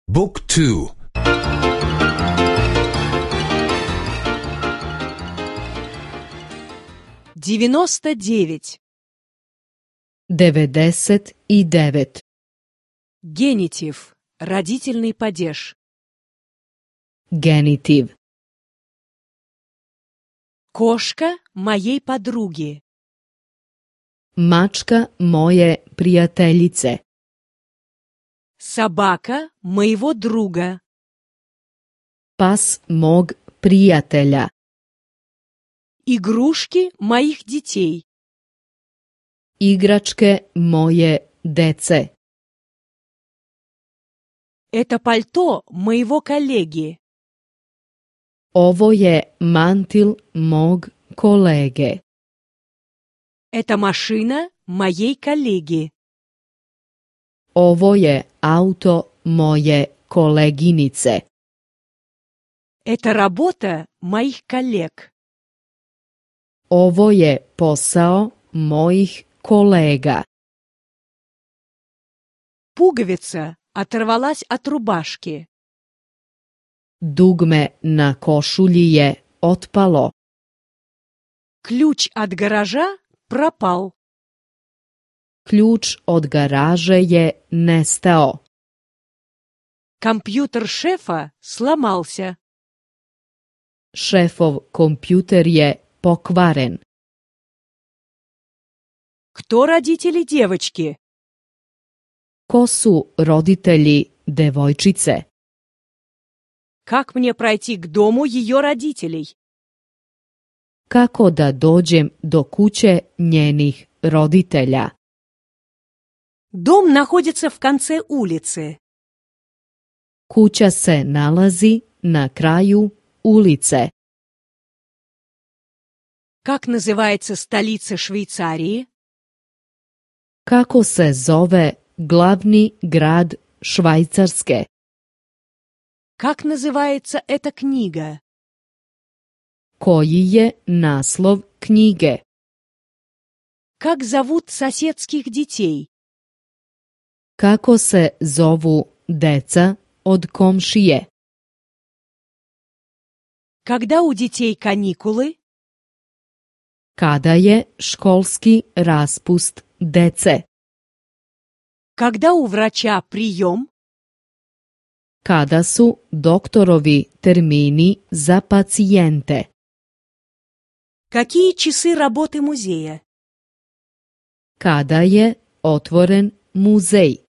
Book 2. 99. 99. Генитив. Родительный падеж. Genitiv. Кошка моей подруги. Mačka moje prijateljice. Собака моего друга. Pas mog prijatelja. Игрушки моих детей. Igračke moje dece. Это пальто моего коллеги. Ovo je mantil mog kolege. Это машина моей коллеги. Ovo je auto moje koleginice. Это работа моих коллег. Ovo je posao mojih kolega. Пуговица оторвалась от рубашки. Dugme na košulji je otpalo. Ключ от гаража пропал. Ključ od garaže je nestao. Компьютер шефа сломался. Šefov kompjuter je pokvaren. Кто родители девочки? Ko su roditelji devojčice? Как мне пройти к дому ее родителей? Kako da dođem do kuće njenih roditelja? Дом находится в конце улицы. Kuća se nalazi na kraju ulice. Как называется столица Швейцарии? Kako se zove glavni grad Švajcarske? Как называется эта книга? Koji je naslov knjige? Как зовут соседских детей? Kako se zovu deca od komšije? Когда у детей каникулы? Kada je školski raspust dece? Когда у врача прием? Kada su doktorovi termini za pacijente? Какие часы работы музея? Kada je otvoren muzej?